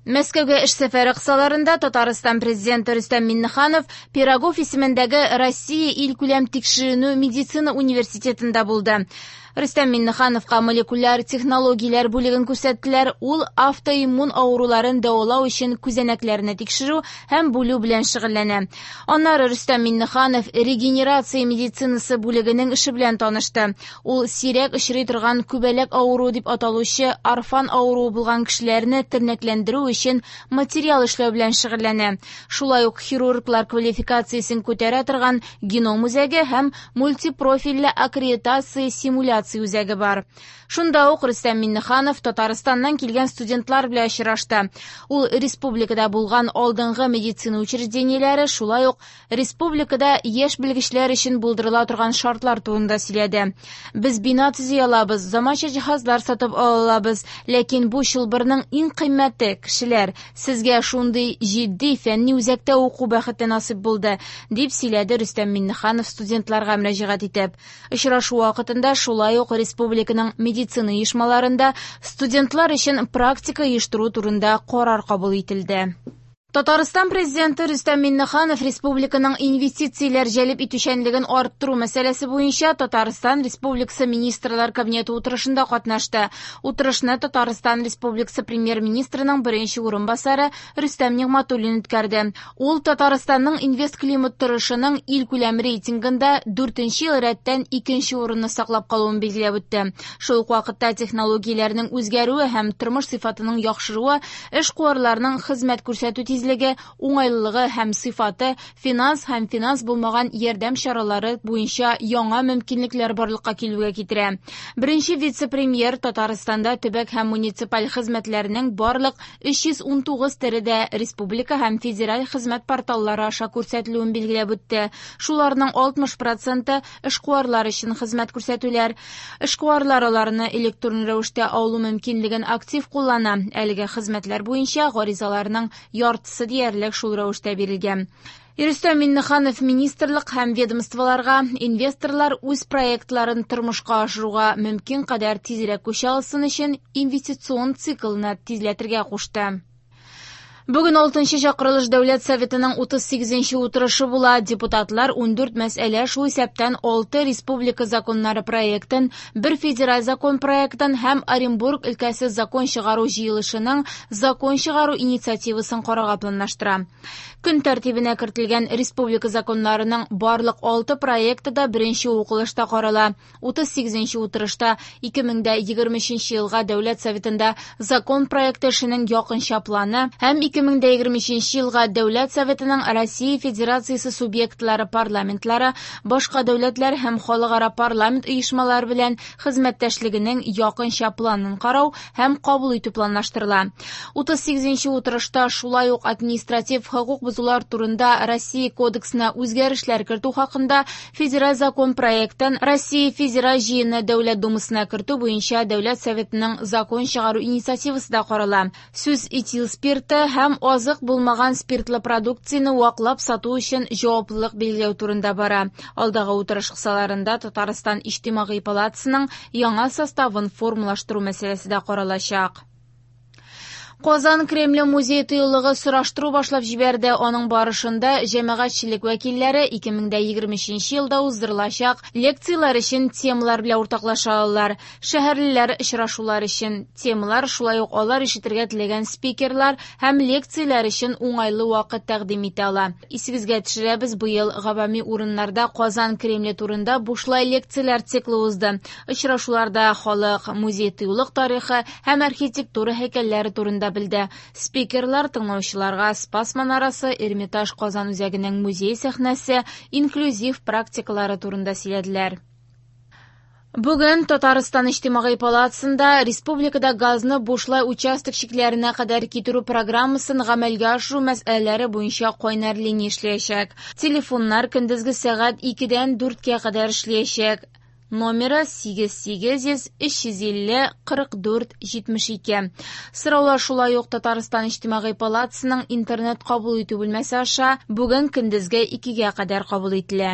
Мәскәүгә эш сәфәре кысаларында Татарстан Президенты Рөстәм Миңнеханов Пирогов исемендәге Россия илкүләм тикшеренү медицина университетында булды. Рөстәм Миңнехановка молекуляр технологияләр бүлеген күрсәттеләр. Ул автоиммун авыруларын дәвалау өчен күзәнәкләрне тикшерү һәм бүлү белән шөгыльләнә. Аннары Рөстәм Миңнеханов регенерация медицинасы бүлегенең эше белән танышты. Ул сирәк очрый торган күбәләк авыруы дип аталучы орфан авыруы булган кешеләрне тернәкләндерү өчен материал эшләү белән шөгыльләнә. Шулай ук хирурглар квалификациясен күтәрә торган геном үзәге һәм мультипрофильле аккредитация симуляция үзәге бар. Шунда ук Рөстәм Миңнеханов Татарстаннан килгән студентлар белән очрашты. Ул республикада булган алдынгы медицина учреждениеләре, шулай ук республикада яшь белгечләр өчен булдырыла торган шартлар турында сөйләде. Без бина төзи алабыз, заманча җиһазлар сатып ала алабыз, ләкин бу чылбырның иң кыйммәте кешеләр. Сезгә шундый җитди фәнни үзәктә уку бәхете насыйп булды, дип сөйләде Рөстәм Миңнеханов студентларга мөрәҗәгать итеп. Очрашу вакытында шулай ук республиканың медицина оешмаларында студентлар өчен практика оештыру турында карар кабул ителде. Татарстан Президенты Рөстәм Миңнеханов республиканың инвестицияләр җәлеп итүчәнлеген арттыру мәсьәләсе буенча Татарстан Республикасы Министрлар Кабинеты утырышында катнашты. Утырышны Татарстан Республикасы Премьер-министрының беренче урынбасары Рөстәм Нигъмәтуллин үткәрде. Ул Татарстанның инвестклимат торышының илкүләм рейтингында 4нче ел рәттән 2нче урынны саклап калуын билгеләп үтте. Шул ук вакытта технологияләрнең үзгәрүе һәм тормыш сыйфатының яхшыруы эшкуарларның хезмәт күрсәтү тизлеге, уңайлылыгы һәм сыйфаты, финанс һәм финанс булмаган ярдәм чаралары буенча яңа мөмкинлекләр барлыкка килүгә китерә. Беренче вице-премьер Татарстанда төбәк һәм муниципаль хезмәтләрнең барлык 319 төре дә республика һәм федераль хезмәт порталлары аша күрсәтелүен билгеләп үтте. Шуларның 60% эшкуарлар өчен хезмәт күрсәтүләр. Эшкуарлар аларны электрон рәвештә алу мөмкинлеген актив куллана. Әлеге хезмәтләр буенча гаризаларның яртысы диярлек шул рәвештә бирелгән. Рөстәм Миңнеханов министрлык һәм ведомстволарга инвесторлар үз проектларын тормышка ашыруга мөмкин кадәр тизрәк күчә алсын өчен инвестицион циклны тизләтергә кушты. Бүген 6нчы чакырылыш Дәүләт Советының 38нче утырышы була. Депутатлар 14 мәсьәлә, шул исәптән 6 республика законнары проектын, 1 федераль закон проектын һәм Оренбург өлкәсе закон чыгару җыелышының закон чыгару инициативасын карарга планлаштыра. Көн тәртибенә кертелгән республика законнарының барлык 6 проекты да беренче укылышта карала. 38нче утырышта 2023 елга Дәүләт Советында закон проекты эшенең якынча планы һәм 2023 елга Дәүләт Советының Россия Федерациясе субъектлары парламентлары, башка дәүләтләр һәм халыкара парламент оешмалары белән хезмәттәшлегенең якынча планын карау һәм кабул итү планлаштырыла. 38нче утырышта шулай ук административ хокук бозулар турында Россия кодексына үзгәрешләр кертү хакында федераль закон проектын Россия Федераль җыены Дәүләт Думасына кертү буенча Дәүләт Советының закон чыгару инициативасы да карала. Сүз этил спирты һәм азык булмаган спиртлы продукцияне ваклап сату өчен җаваплылык билгеләү турында бара. Алдагы утырыш кысаларында Татарстан Иҗтимагый палатасының яңа составын формалаштыру мәсьәләсе дә каралачак. Казан Кремле музей тыюлыгы сораштыру башлап җибәрде. Аның барышында җәмәгатьчелек вәкилләре 2023 елда уздырылачак лекцияләр өчен темалар белән уртаклаша алалар. Шәһәрлеләр очрашулар өчен темалар, шулай ук алар ишетергә теләгән спикерлар һәм лекцияләр өчен уңайлы вакыт тәкъдим итә ала. Исегезгә төшерәбез, быел гавами урыннарда Казан Кремле турында бушлай лекцияләр циклы узды. Очрашуларда халык музей тыюлык тарихы һәм архитектура һәйкәлләре турында белде. Спикерлар тыңлаучыларга Спас манарасы, Эрмитаж Казан үзәгенең музей сәхнәсе, инклюзив практикалары турында сөйләделәр. Бүген Татарстан Иҗтимагый палатасында республикада газны бушлай участок чикләренә кадәр китерү программасын гамәлгә ашыру мәсьәләләре буенча кайнар линия эшләячәк. Телефоннар көндезге сәгать 2-дән 4-кә кадәр эшләячәк. Номеры 8 800 350 44 72. Сораулар шулай ук Татарстан Иҗтимагый палатасының интернет кабул итү бүлмәсе аша бүген көндезге 2-гә кадәр кабул ителә.